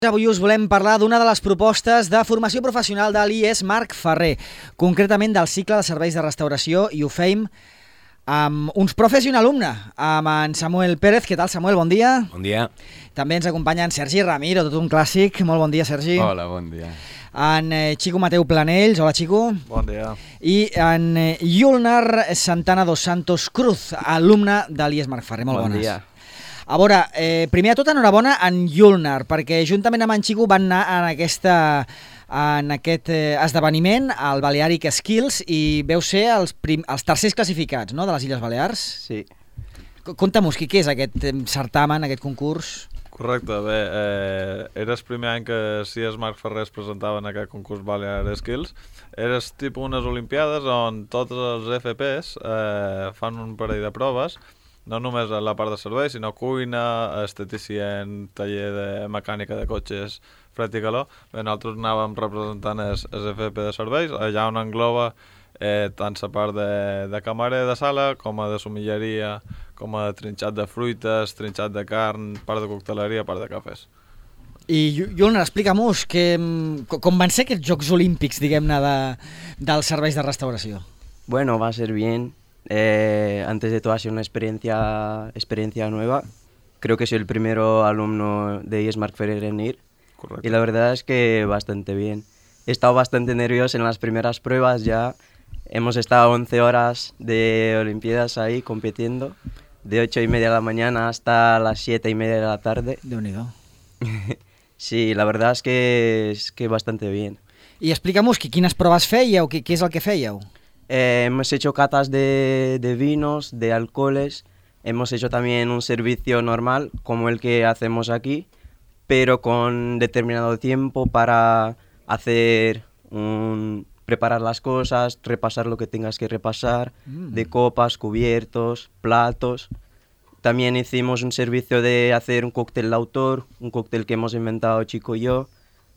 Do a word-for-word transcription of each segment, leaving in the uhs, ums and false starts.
Avui us volem parlar d'una de les propostes de formació professional de l'I E S Marc Ferrer, concretament del cicle de serveis de restauració, i ho feim amb uns profes i un alumne, amb en Samuel Pérez. Què tal, Samuel? Bon dia. Bon dia. També ens acompanya en Sergi Ramiro, tot un clàssic. Molt bon dia, Sergi. Hola, bon dia. En eh, Xico Mateu Planells. Hola, Xico. Bon dia. I en eh, Yulnar Santana dos Santos Cruz, alumne de l'I E S Marc Ferrer. Molt bon bones. Dia. A veure, eh, primer de tot, enhorabona en Yulnar, perquè juntament amb en Xico van anar en, aquesta, en aquest eh, esdeveniment, al Balearic Skills, i veu ser els, prim, els tercers classificats, no?, de les Illes Balears. Sí. Conta'm-nos, què és aquest eh, certamen, aquest concurs? Correcte, bé, eh, era el primer any que l'I E S Marc Ferrer es presentava en aquest concurs Balear Skills. Era tipus unes olimpiades on tots els F Ps eh, fan un parell de proves, no només a la part de serveis, sinó cuina, esteticien, taller de mecànica de cotxes, fred i calor. Bé, nosaltres anàvem representant els F P de serveis, allà on engloba eh, tant la part de, de camarer de sala, com a de somilleria, com a de trinxat de fruites, trinxat de carn, part de cocteleria, part de cafès. I, Yulnar, explica'm-nos que, com van ser aquests Jocs Olímpics, diguem-ne, de, dels serveis de restauració? Bueno, va a ser bien. Eh, antes de todo ha sido una experiencia, experiencia nueva. Creo que soy el primero alumno de I E S Marc Ferrer en ir. Correcto. Y la verdad es que bastante bien. He estado bastante nervioso en las primeras pruebas ya. Hemos estado once horas de Olimpiadas ahí compitiendo, de ocho y media de la mañana hasta las siete y media de la tarde. Déu-n'hi-do. Sí, la verdad es que, es que bastante bien. I explica'm-nos quines proves fèieu, què, què és el que fèieu? Eh, hemos hecho catas de, de vinos, de alcoholes, hemos hecho también un servicio normal como el que hacemos aquí, pero con determinado tiempo para hacer un, preparar las cosas, repasar lo que tengas que repasar, mm. de copas, cubiertos, platos. También hicimos un servicio de hacer un cóctel de autor, un cóctel que hemos inventado Chico y yo,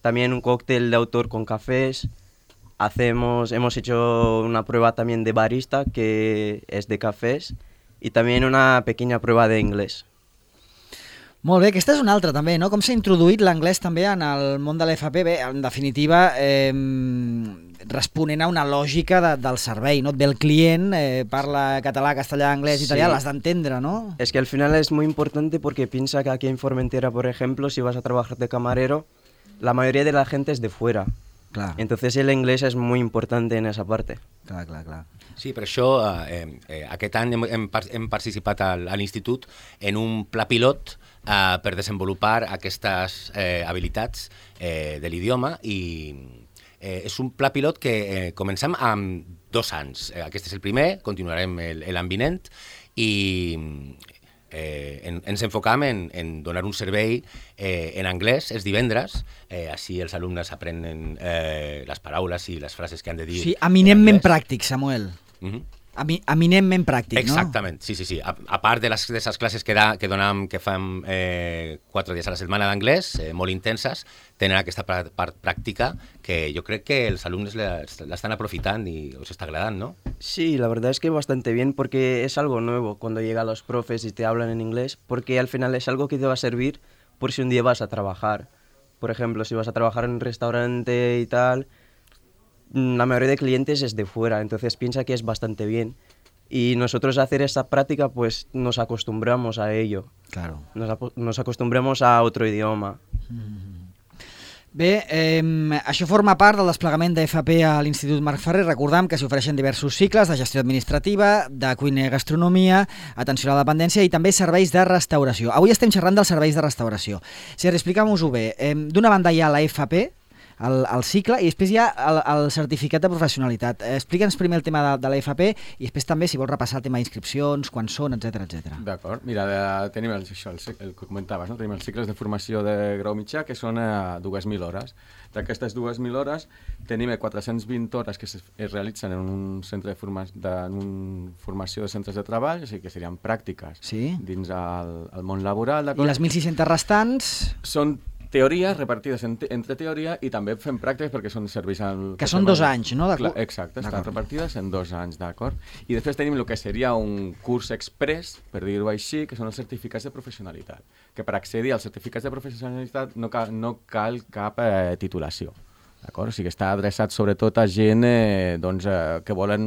también un cóctel de autor con cafés. Hacemos, hemos hecho una prueba también de barista, que es de cafés, y también una pequeña prueba de inglés. Molt bé, aquesta és una altra també, no? Com s'ha introduït l'anglès també en el món de l'F P? Bé, en definitiva, eh, responent a una lògica de, del servei, no? Et ve el client, eh, parla català, castellà, anglès, italià, sí. L'has d'entendre, ¿no? Es que al final es muy importante porque piensa que aquí en Formentera, por ejemplo, si vas a trabajar de camarero, la mayoría de la gente es de fuera. Clar. Entonces el inglés es muy importante en esa parte. Clar, clar, clar. Sí, per això eh, eh, aquest any hem, hem, hem participat al, a l'Institut en un pla pilot eh, per desenvolupar aquestes eh, habilitats eh, de l'idioma, i eh, és un pla pilot que eh, comencem amb dos anys. Eh, aquest és el primer, continuarem l'any vinent, i Eh, en, ens enfocam en, en donar un servei eh, en anglès els divendres, eh, així els alumnes aprenen eh, les paraules i les frases que han de dir. Sí, eminentment pràctic, Samuel. Uh-huh. Emi, eminentment pràctic, Exactament, no? sí, sí, sí. A, a part de les de les classes que, da, que donam, que fem eh, quatre dies a la setmana d'anglès, eh, molt intenses, tenen aquesta part pràctica que jo crec que els alumnes l'estan aprofitant i us està agradant, ¿no? Sí, la verdad es que bastante bien, porque es algo nuevo cuando llegan los profes y te hablan en inglés, porque al final es algo que te va a servir por si un día vas a trabajar. Por ejemplo, si vas a trabajar en un restaurante y tal, la mayoría de clientes es de fuera, entonces piensa que es bastante bien. Y nosotros a hacer esta práctica pues nos acostumbramos a ello. Claro. Nos, nos acostumbramos a otro idioma. Mm. Bé, eh, això forma part del desplegament d'F P a l'Institut Marc Ferrer. Recordam que s'hi ofereixen diversos cicles de gestió administrativa, de cuina i gastronomia, atenció a la dependència i també serveis de restauració. Avui estem xerrant dels serveis de restauració. Sergi, explica'm-ho bé. Eh, D'una banda hi ha la F P, el, el cicle, i després hi ha el, el certificat de professionalitat. Eh, Explica'ns primer el tema de, de la F P i després també, si vols repassar el tema d'inscripcions, quan són, etcètera etcètera. D'acord. Mira, de, tenim el, això, el, el que comentaves, no? Tenim els cicles de formació de grau mitjà, que són a dues mil hores. D'aquestes dues mil hores tenim quatre-cents vint hores que es, es realitzen en un centre de, forma, de en un formació de centres de treball, o sigui que serien pràctiques, sí, dins el, el món laboral. I les mil sis-centes restants? Són teoria repartides en, entre teoria i també fem pràctiques perquè són serveis al... Que són dos anys, no? Clar, exacte, estan repartides en dos anys, d'acord? I després tenim el que seria un curs express, per dir-ho així, que són els certificats de professionalitat, que per accedir als certificats de professionalitat no cal, no cal cap eh, titulació. D'acord? O sigui, està adreçat sobretot a gent eh, doncs, eh, que volen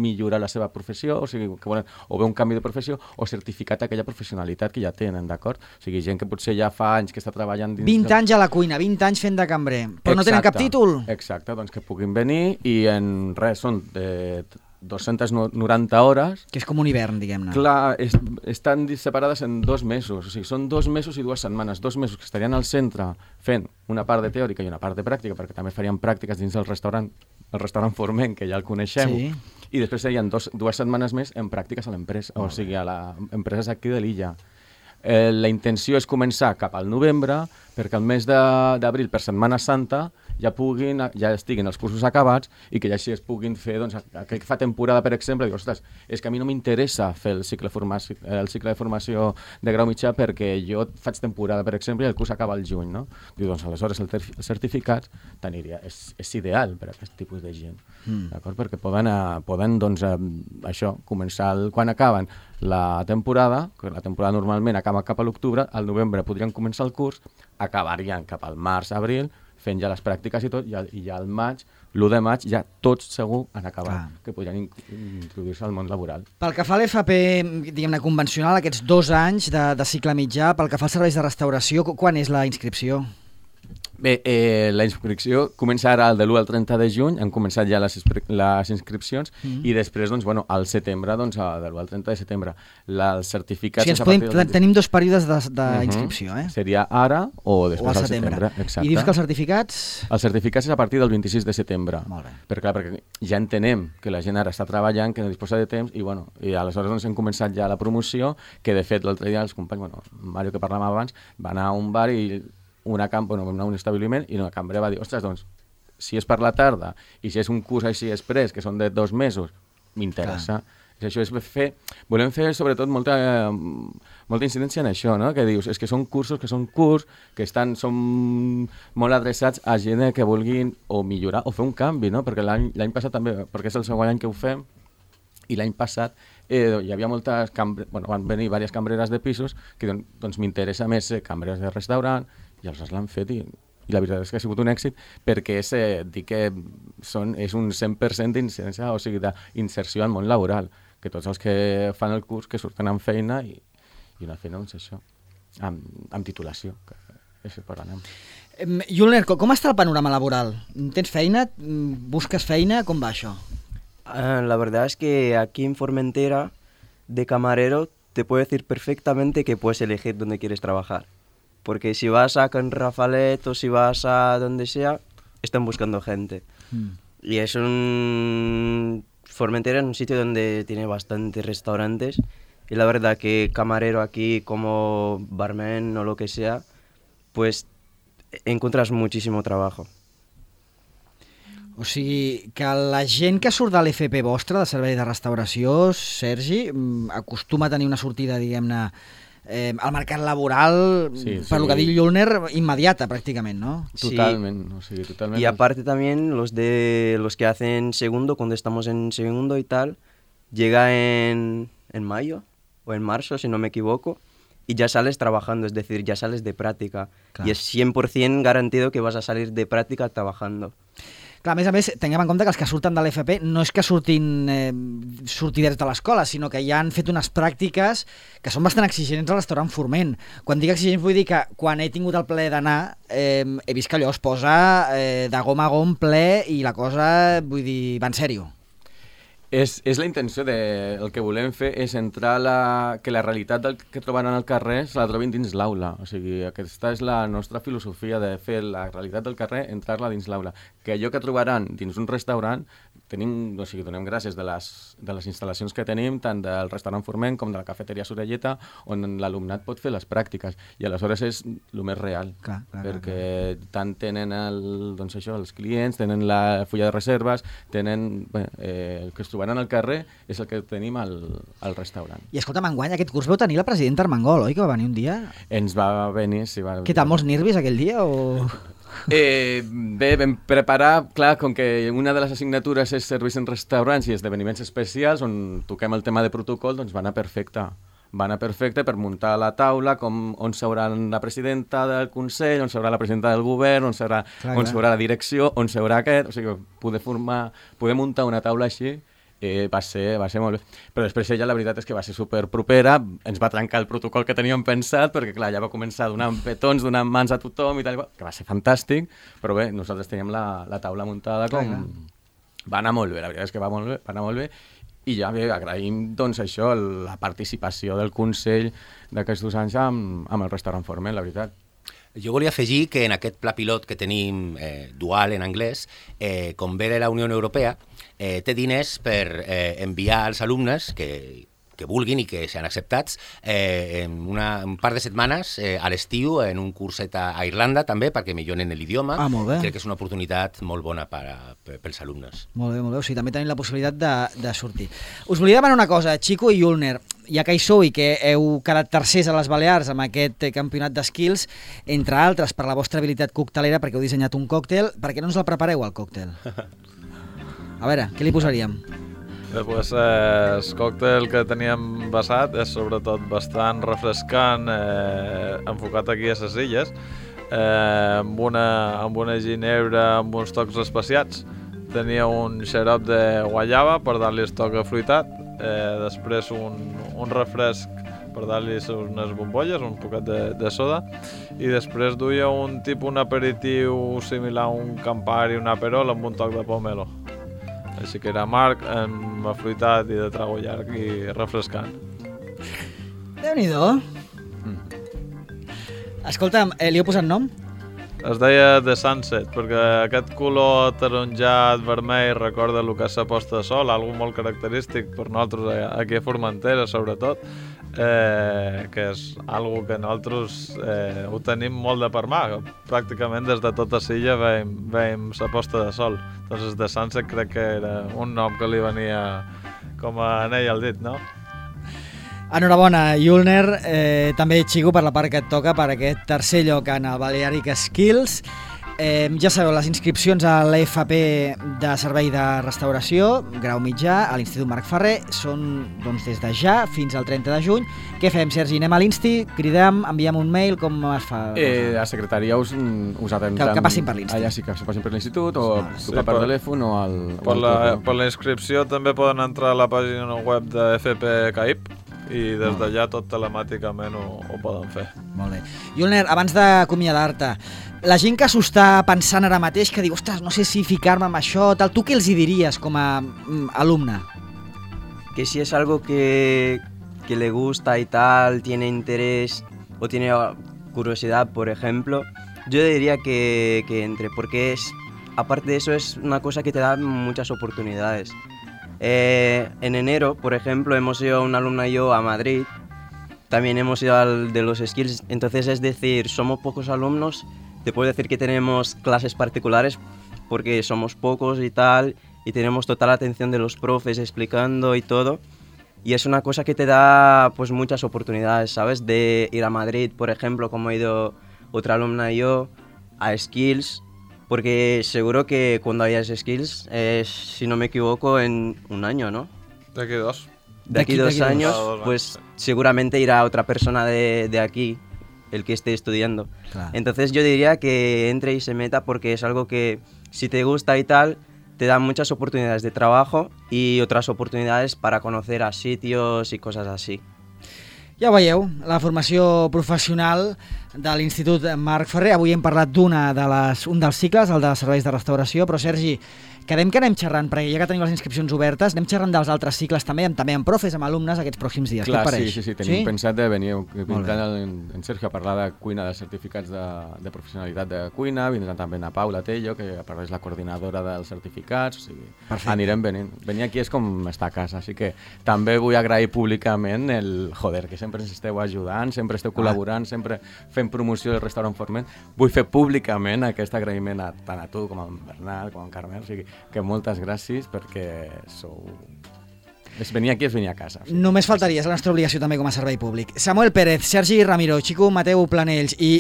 millorar la seva professió, o sigui, que volen o bé un canvi de professió o certificat aquella professionalitat que ja tenen, d'acord? O sigui, gent que potser ja fa anys que està treballant dins... vint anys a la cuina, vint anys fent de cambrer, però exacte, no tenen cap títol. Exacte, doncs que puguin venir i en res, són de dues-centes noranta hores. Que és com un hivern, diguem-ne. Clar, es, estan separades en dos mesos, o sigui, són dos mesos i dues setmanes, dos mesos que estarien al centre fent una part de teòrica i una part de pràctica, perquè també farien pràctiques dins del restaurant, el restaurant Forment, que ja el coneixem, sí. I després serien dos, dues setmanes més en pràctiques a l'empresa, o sigui, a les empreses aquí de l'illa. Eh, la intenció és començar cap al novembre, perquè el mes d'abril, per Setmana Santa, ja puguin, ja estiguin els cursos acabats i que ja així es puguin fer, doncs, aquell que fa temporada, per exemple, diu, ostres, és que a mi no m'interessa fer el cicle, formació, el cicle de formació de grau mitjà perquè jo faig temporada, per exemple, i el curs acaba al juny, no? Diu, doncs, aleshores el, el certificat t'aniria, és, és ideal per a aquest tipus de gent, mm. d'acord? Perquè poden, uh, poden doncs, uh, això, començar, el, quan acaben la temporada, que la temporada normalment acaba cap a l'octubre, al novembre podrien començar el curs, acabarien cap al març, abril, fent ja les pràctiques i tot, i, i ja al maig, l'u de maig, ja tots segur han acabat, Clar. que podrien introduir-se al món laboral. Pel que fa a l'F P, diguem-ne, convencional, aquests dos anys de, de cicle mitjà, pel que fa als serveis de restauració, quan és la inscripció? Bé, eh, la inscripció comença ara de l'u al trenta de juny, han començat ja les, les inscripcions, mm. i després, doncs, bueno, al setembre, doncs, de l'u al trenta de setembre, la, els certificats... O sigui, podem, del... tenim dos períodes d'inscripció, uh -huh. eh? Seria ara o després o al setembre. setembre. Exacte. I dius que els certificats... Els certificats és a partir del vint-i-sis de setembre. Molt bé. Perquè, clar, perquè ja entenem que la gent ara està treballant, que no disposa de temps, i, bueno, i aleshores doncs, hem començat ja la promoció, que, de fet, l'altre dia els companys, bueno, Mario, que parlàvem abans, va anar a un bar i... una camp, bueno, vam anar a un establiment i una cambra va dir, ostres, doncs, si és per la tarda i si és un curs així express, que són de dos mesos, m'interessa. Això és fer... Volem fer, sobretot, molta, molta incidència en això, no? Que dius, és que són cursos que són curts, que estan, són molt adreçats a gent que vulguin o millorar o fer un canvi, no? Perquè l'any passat també, perquè és el segon any que ho fem, i l'any passat eh, hi havia moltes cambreres, bueno, van venir diverses cambreres de pisos que doncs, doncs m'interessa més ser cambreres de restaurant, i els l'han fet i, i la veritat és que ha sigut un èxit perquè és, eh, dic que són, és un cent per cent d'incidència, o sigui, d'inserció al món laboral, que tots els que fan el curs que surten amb feina i, i una feina, doncs això, amb, amb titulació, que és per anem. Julner, com està el panorama laboral? Tens feina? Busques feina? Com va això? Uh, la verdad es que aquí en Formentera, de camarero, te puedo decir perfectamente que puedes elegir dónde quieres trabajar. Porque si vas a Can Rafalet o si vas a donde sea, están buscando gente. Mm. Y es un... Formentera es un sitio donde tiene bastantes restaurantes. Y la verdad que camarero aquí, como barman o lo que sea, pues encuentras muchísimo trabajo. O sigui, que la gent que surt de l'F P vostra, de servei de restauració, Sergi, acostuma a tenir una sortida, diguem-ne, Eh, al mercat laboral, sí, per sí. lo que diu Julner, immediata pràcticament, ¿no? Totalment, sí. O sigui, totalment. Y aparte también los de los que hacen segundo, cuando estamos en segundo y tal, llega en, en mayo o en marzo, si no me equivoco, y ya sales trabajando, es decir, ya sales de práctica. Claro. Y es cien por ciento garantido que vas a salir de práctica trabajando. Clar, a més a més, tinguem en compte que els que surten de l'F P no és que surtin eh, sortiders de l'escola, sinó que ja han fet unes pràctiques que són bastant exigents al restaurant Forment. Quan dic exigents vull dir que quan he tingut el plaer d'anar eh, he vist que allò es posa eh, de gom a gom ple i la cosa, vull dir, va en sèrio. És, és la intenció de... El que volem fer és entrar la... que la realitat del que trobaran al carrer se la trobin dins l'aula. O sigui, aquesta és la nostra filosofia de fer la realitat del carrer, entrar-la dins l'aula. Que allò que trobaran dins un restaurant tenim, o sigui, donem gràcies de les, de les instal·lacions que tenim, tant del restaurant Forment com de la cafeteria Sorelleta, on l'alumnat pot fer les pràctiques, i aleshores és el més real, clar, clar, perquè clar, clar. tant tenen el, doncs això, els clients, tenen la fulla de reserves, tenen, bé, eh, el que es trobaran al carrer és el que tenim al, al restaurant. I escolta'm, enguany aquest curs vau tenir la presidenta Armengol, oi, que va venir un dia? Ens va venir, sí, va... Què tal, molts nervis aquell dia, o...? Eh, bé, vam preparar, clar, com que una de les assignatures és serveis en restaurants i esdeveniments especials on toquem el tema de protocol, doncs va anar perfecte. Va anar perfecte per muntar la taula, com, on seurà la presidenta del Consell, on seurà la presidenta del govern, on seurà, clar, on clar. seurà la direcció, on seurà aquest... O sigui, poder, formar, poder muntar una taula així eh, va, ser, va ser molt bé. Però després ella, la veritat és que va ser superpropera, ens va trencar el protocol que teníem pensat, perquè clar, ja va començar donant petons, donant mans a tothom i tal, que va ser fantàstic, però bé, nosaltres teníem la, la taula muntada com... Clar, clar. Va anar molt bé, la veritat és que va, molt bé, va anar molt bé, i ja bé, agraïm doncs això, la participació del Consell d'aquests anys amb, amb el restaurant Forment, la veritat. Jo volia afegir que en aquest pla pilot que tenim eh, dual en anglès, eh, com ve de la Unió Europea, eh, té diners per eh, enviar als alumnes que, que vulguin i que sean acceptats eh, en una, un par de setmanes eh, a l'estiu en un curset a, a Irlanda també perquè milloren l'idioma. Ah, molt bé. Crec que és una oportunitat molt bona per a, per, pels alumnes. Molt bé, molt bé. O sigui, també tenim la possibilitat de, de sortir. Us volia demanar una cosa, Chico i Julner, ja que hi sou i que heu quedat tercers a les Balears amb aquest campionat d'Skills, entre altres per la vostra habilitat coctelera, perquè heu dissenyat un còctel, per què no ens el prepareu, el còctel? A veure, què li posaríem? Després, eh, el còctel que teníem basat és sobretot bastant refrescant, eh, enfocat aquí a les illes, eh, amb, una, amb una ginebra amb uns tocs especiats. Tenia un xarop de guayaba per dar-li el toc afruitat, eh, després un, un refresc per dar-li unes bombolles, un poquet de, de soda, i després duia un tipus, un aperitiu similar a un Campari, un Aperol amb un toc de pomelo. Així que era amarg, amb afruitat i de trago llarg i refrescant. Déu-n'hi-do. Escolta'm, eh, li heu posat nom? Es deia The Sunset, perquè aquest color taronjat, vermell, recorda el que és la posta de sol, algo molt característic per nosaltres aquí a Formentera, sobretot, eh, que és algo que nosaltres eh, ho tenim molt de per mà. Pràcticament des de tota l'illa veiem, veiem la posta de sol. Doncs The Sunset crec que era un nom que li venia com a anell al dit, no? Enhorabona, Julner, eh, també Chico per la part que et toca per aquest tercer lloc en el Balearic Skills. Eh, ja sabeu, les inscripcions a l'E F P de Servei de Restauració, grau mitjà, a l'Institut Marc Ferrer, són doncs, des de ja fins al trenta de juny. Què fem, Sergi? Anem a l'Insti, cridem, enviem un mail, com es fa? Eh, la secretaria us, us atendran... Que, que passin per l'Insti. Allà sí que passin per l'Institut, o Vale. trucar Sí, per per- telèfon o al... Per o al la, correu. per la inscripció també poden entrar a la pàgina web de F P C A I P i des d'allà tot telemàticament ho, ho poden fer. Molt bé. Julner, abans d'acomiadar-te, la gent que s'ho està pensant ara mateix, que diu, ostres, no sé si ficar-me amb això, tal, tu què els hi diries com a mm, alumne? Que si es algo que, que le gusta y tal, tiene interés o tiene curiosidad, por ejemplo, yo diría que, que entre, porque es, aparte de eso es una cosa que te da muchas oportunidades. Eh, en enero, por ejemplo, hemos ido un alumno y yo a Madrid, también hemos ido al de los skills, entonces es decir, somos pocos alumnos, te puedo decir que tenemos clases particulares porque somos pocos y tal, y tenemos total atención de los profes explicando y todo, y es una cosa que te da pues muchas oportunidades, ¿sabes? De ir a Madrid, por ejemplo, como ha ido otra alumna y yo, a skills, porque seguro que cuando hayas skills es, si no me equivoco, en un año, ¿no? De aquí dos. De aquí De aquí- dos de aquí años, dos. Ah, dos pues años. seguramente irá otra persona de, de aquí, el que esté estudiando. Clar. Entonces yo diría que entre y se meta porque es algo que si te gusta y tal, te da muchas oportunidades de trabajo y otras oportunidades para conocer a sitios y cosas así. Ja ho veieu, la formació professional de l'Institut Marc Ferrer. Avui hem parlat d'una de les, un dels cicles, el de serveis de restauració, però Sergi, quedem que anem xerrant, perquè ja que tenim les inscripcions obertes, anem xerrant dels altres cicles també, amb, també amb profes, amb alumnes aquests pròxims dies. Clar, què et pareix? sí, sí, sí, tenim sí? pensat de venir, vindran en, en Sergio a parlar de cuina, de certificats de, de professionalitat de cuina, vindran també a Paula Tello, que a part és la coordinadora dels certificats, o sigui, perfecte. Anirem venint. Venir aquí és com estar a casa, així que també vull agrair públicament el, joder, que sempre ens esteu ajudant, sempre esteu col·laborant, ah. sempre fent promoció del restaurant Forment. Vull fer públicament aquest agraïment a, tant a tu com a en Bernat, com a en Carmel, o sigui, que moltes gràcies perquè sou... És venir aquí és venir a casa. Sí. Només faltaria, és la nostra obligació també com a servei públic. Samuel Pérez, Sergi Ramiro, Xico Mateu Planells i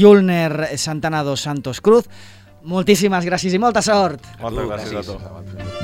Yulner Santana dos Santos Cruz, moltíssimes gràcies i molta sort. Moltes gràcies a tu.